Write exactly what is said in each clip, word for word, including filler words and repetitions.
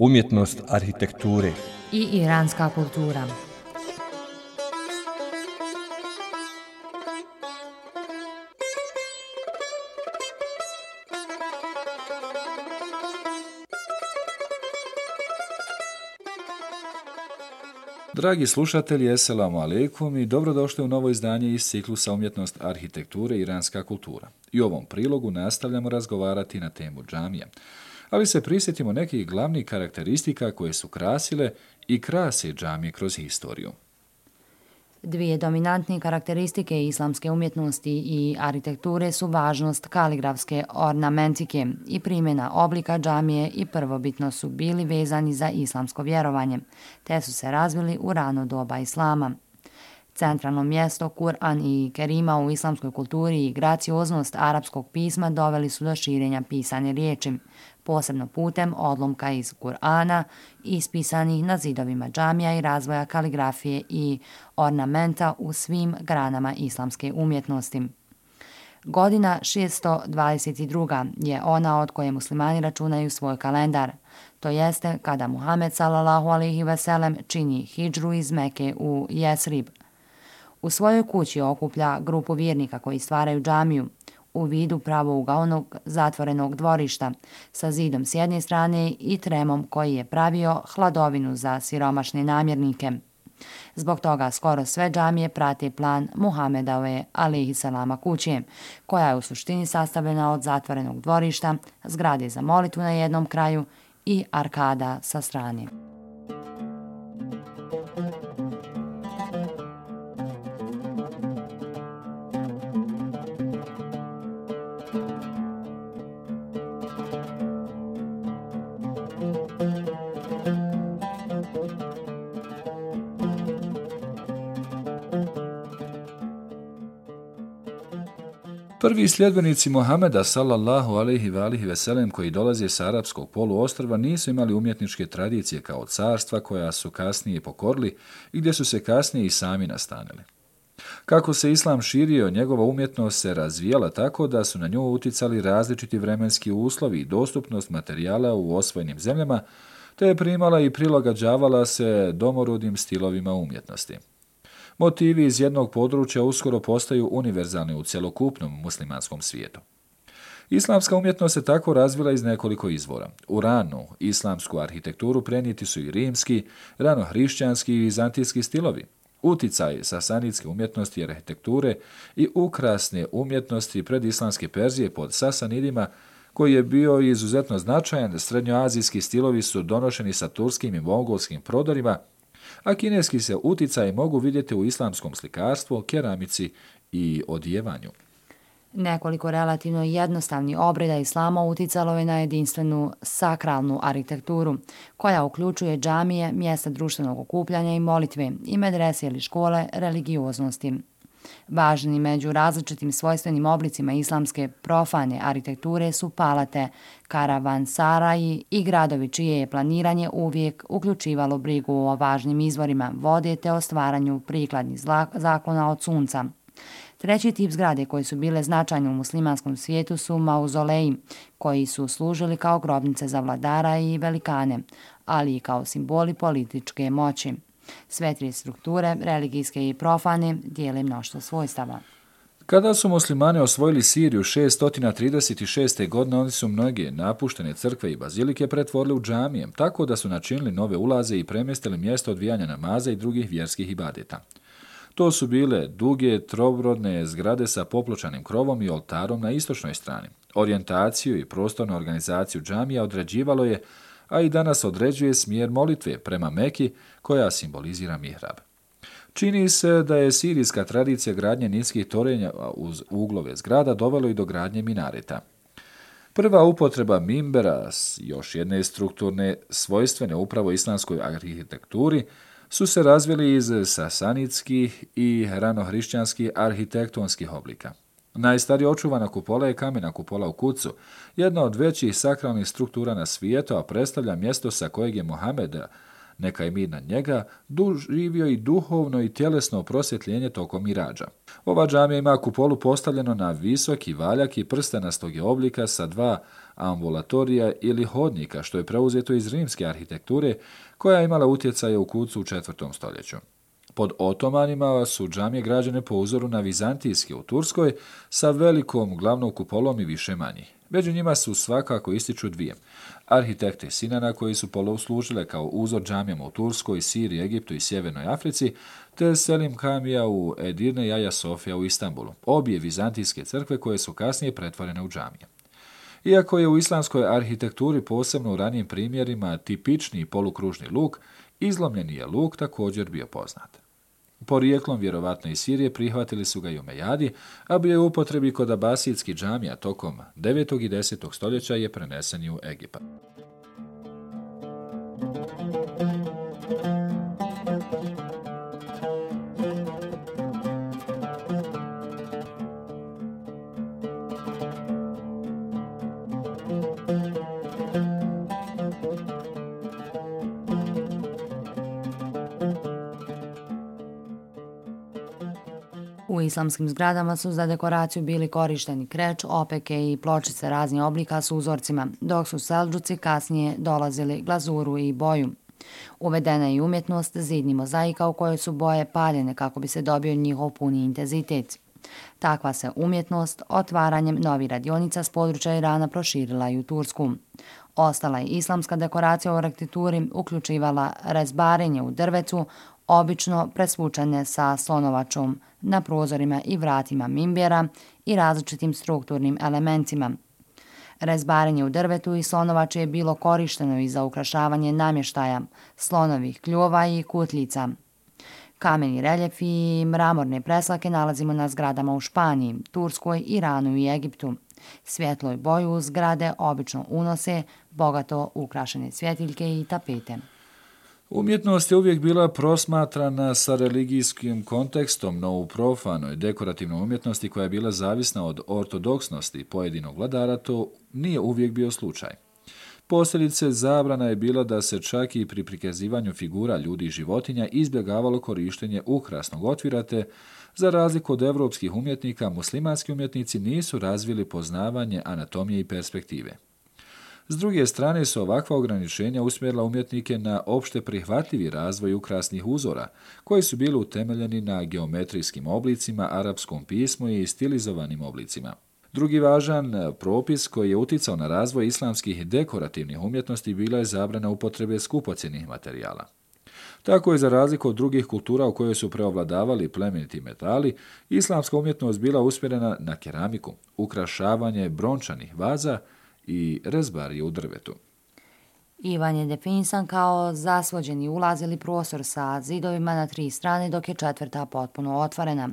umjetnost arhitekture i iranska kultura. Dragi slušatelji, eselamu alejkum i dobrodošli u novo izdanje iz ciklusa Umjetnost arhitekture i iranska kultura. I u ovom prilogu nastavljamo razgovarati na temu džamija, ali se prisjetimo nekih glavnih karakteristika koje su krasile i krase džamije kroz historiju. Dvije dominantne karakteristike islamske umjetnosti i arhitekture su važnost kaligrafske ornamentike i primjena oblika džamije i prvobitno su bili vezani za islamsko vjerovanje, te su se razvili u rano doba islama. Centralno mjesto Kur'an i Kerima u islamskoj kulturi i gracioznost arapskog pisma doveli su do širenja pisane riječi, posebno putem odlomka iz Kur'ana ispisanih na zidovima džamija i razvoja kaligrafije i ornamenta u svim granama islamske umjetnosti. Godina šesto dvadeset druga je ona od koje muslimani računaju svoj kalendar, to jeste kada Muhammed sallallahu alejhi ve sellem čini hidžru iz Meke u Jesrib. U svojoj kući okuplja grupu vjernika koji stvaraju džamiju u vidu pravougaonog zatvorenog dvorišta sa zidom s jedne strane i tremom koji je pravio hladovinu za siromašne namjernike. Zbog toga skoro sve džamije prate plan Muhammedove alejhiselama kuće, koja je u suštini sastavljena od zatvorenog dvorišta, zgrade za molitvu na jednom kraju i arkada sa strane. Prvi sljedbenici Muhameda sallallahu alejhi ve alihi ve sellem koji dolaze sa arapskog poluostrva nisu imali umjetničke tradicije kao carstva koja su kasnije pokorili i gdje su se kasnije i sami nastanili. Kako se islam širio, njegova umjetnost se razvijala tako da su na nju uticali različiti vremenski uslovi i dostupnost materijala u osvojenim zemljama, te je primala i prilagođavala se domorodnim stilovima umjetnosti. Motivi iz jednog područja uskoro postaju univerzalni u cjelokupnom muslimanskom svijetu. Islamska umjetnost se tako razvila iz nekoliko izvora. U ranu islamsku arhitekturu prenijeti su i rimski, ranohrišćanski i vizantijski stilovi. Uticaj sasanidske umjetnosti i arhitekture i ukrasne umjetnosti predislamske Perzije pod Sasanidima, koji je bio izuzetno značajan, srednjoazijski stilovi su donošeni sa turskim i mongolskim prodorima, a kineski se uticaj mogu vidjeti u islamskom slikarstvu, keramici i odijevanju. Nekoliko relativno jednostavnih obreda islama uticalo je na jedinstvenu sakralnu arhitekturu, koja uključuje džamije, mjesta društvenog okupljanja i molitve i medrese ili škole religioznosti. Važni među različitim svojstvenim oblicima islamske profane arhitekture su palate, karavansaraji i gradovi čije je planiranje uvijek uključivalo brigu o važnim izvorima vode te o stvaranju prikladnih zaklona od sunca. Treći tip zgrade koji su bile značajne u muslimanskom svijetu su mauzoleji, koji su služili kao grobnice za vladara i velikane, ali i kao simboli političke moći. Sve tri strukture, religijske i profane, dijele mnoštvo svojstava. Kada su muslimani osvojili Siriju šesto trideset šeste. godine, oni su mnoge napuštene crkve i bazilike pretvorili u džamije, tako da su načinili nove ulaze i premjestili mjesto odvijanja namaza i drugih vjerskih ibadeta. To su bile duge, trobrodne zgrade sa popločanim krovom i oltarom na istočnoj strani. Orijentaciju i prostornu organizaciju džamija određivalo je, a i danas određuje smjer molitve prema Meki, koja simbolizira mihrab. Čini se da je sirijska tradicija gradnje niskih torenja uz uglove zgrada dovelo i do gradnje minareta. Prva upotreba mimbera, još jedne strukturne svojstvene upravo islamskoj arhitekturi, su se razvili iz sasanidskih i ranohrišćanskih arhitektonskih oblika. Najstarija očuvana kupola je kamena kupola u Kucu, jedna od većih sakralnih struktura na svijetu, a predstavlja mjesto sa kojeg je Muhammed neka je mir nad njega, doživio i duhovno i tjelesno prosvjetljenje tokom mirađa. Ova džamija ima kupolu postavljeno na visoki valjak i prstenastog je oblika sa dva ambulatorija ili hodnika, što je preuzeto iz rimske arhitekture, koja je imala utjecaje u kucu u četvrtom stoljeću. Pod Otomanima su džamije građene po uzoru na vizantijske u Turskoj sa velikom glavnom kupolom i više manjih. Među njima su svakako ističu dvije. Arhitekte Sinana koji su poslužile kao uzor džamijama u Turskoj, Siriji, Egiptu i Sjevernoj Africi, te Selim Kamija u Edirne i Aja Sofija u Istanbulu, obje vizantijske crkve koje su kasnije pretvorene u džamije. Iako je u islamskoj arhitekturi, posebno u ranijim primjerima, tipični polukružni luk, izlomljeni je luk također bio poznat. Porijeklom vjerovatno iz Sirije prihvatili su ga i Umejadi, a bio je u upotrebi kod abasijskih džamija tokom devetog i desetog stoljeća je prenesen i u Egipat. U islamskim zgradama su za dekoraciju bili korišteni kreč, opeke i pločice raznih oblika s uzorcima, dok su Seldžuci kasnije dolazili glazuru i boju. Uvedena je i umjetnost zidnih mozaika u kojoj su boje paljene kako bi se dobio njihov puni intenzitet. Takva se umjetnost otvaranjem novih radionica s područja Irana proširila i u Tursku. Ostala je islamska dekoracija u arhitekturi, uključivala rezbarenje u drvetu, obično presvučene sa slonovačom na prozorima i vratima mimbjera i različitim strukturnim elementima. Rezbarenje u drvetu i slonovače je bilo korišteno i za ukrašavanje namještaja, slonovih kljova i kutljica. Kameni reljefi i mramorne preslake nalazimo na zgradama u Španiji, Turskoj, Iranu i Egiptu. Svjetlo i boju u zgrade obično unose bogato ukrašene svjetiljke i tapete. Umjetnost je uvijek bila prosmatrana sa religijskim kontekstom, no u profanoj dekorativnoj umjetnosti koja je bila zavisna od ortodoksnosti pojedinog vladara, to nije uvijek bio slučaj. Posljedice zabrana je bila da se čak i pri prikazivanju figura ljudi i životinja izbjegavalo korištenje ukrasnog otvira, te za razliku od evropskih umjetnika, muslimanski umjetnici nisu razvili poznavanje anatomije i perspektive. S druge strane su ovakva ograničenja usmjerila umjetnike na opšte prihvatljivi razvoj ukrasnih uzora, koji su bili utemeljeni na geometrijskim oblicima, arapskom pismu i stilizovanim oblicima. Drugi važan propis koji je uticao na razvoj islamskih dekorativnih umjetnosti bila je zabrana upotrebe skupocjenih materijala. Tako je, za razliku od drugih kultura u kojoj su preovladavali plemeniti metali, islamska umjetnost bila usmjerena na keramiku, ukrašavanje brončanih vaza i rezbarije u drvetu. Ivan je definisan kao zasvođeni ulaz ili prostor sa zidovima na tri strane, dok je četvrta potpuno otvorena.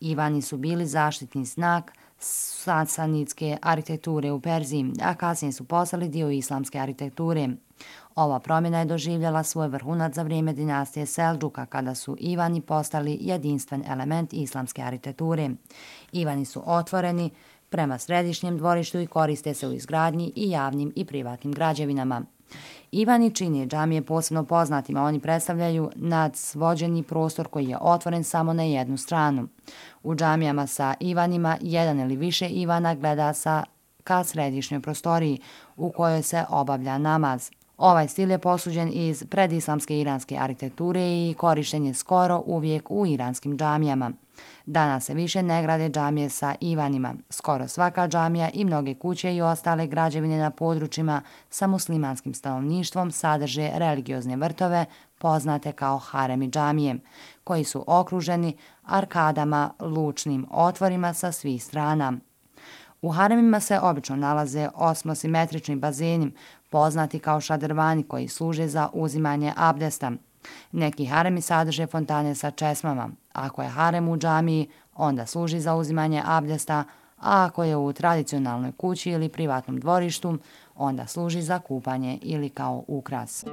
Ivani su bili zaštitni znak sasanidske arhitekture u Perziji, a kasnije su postali dio islamske arhitekture. Ova promjena je doživjela svoj vrhunac za vrijeme dinastije Seldžuka, kada su Ivani postali jedinstven element islamske arhitekture. Ivani su otvoreni prema središnjem dvorištu i koriste se u izgradnji i javnim i privatnim građevinama. Ivani čine džamije posebno poznatima, oni predstavljaju nadsvođeni prostor koji je otvoren samo na jednu stranu. U džamijama sa Ivanima jedan ili više Ivana gleda sa ka središnjoj prostoriji u kojoj se obavlja namaz. Ovaj stil je posuđen iz predislamske iranske arhitekture i korišten je skoro uvijek u iranskim džamijama. Danas se više ne grade džamije sa Ivanima. Skoro svaka džamija i mnoge kuće i ostale građevine na područjima sa muslimanskim stanovništvom sadrže religiozne vrtove poznate kao haremi džamije, koji su okruženi arkadama, lučnim otvorima sa svih strana. U haremima se obično nalaze osmosimetrični bazeni, poznati kao šadrvani, koji služe za uzimanje abdesta. Neki haremi sadrže fontane sa česmama. Ako je harem u džamiji, onda služi za uzimanje abdesta, a ako je u tradicionalnoj kući ili privatnom dvorištu, onda služi za kupanje ili kao ukras.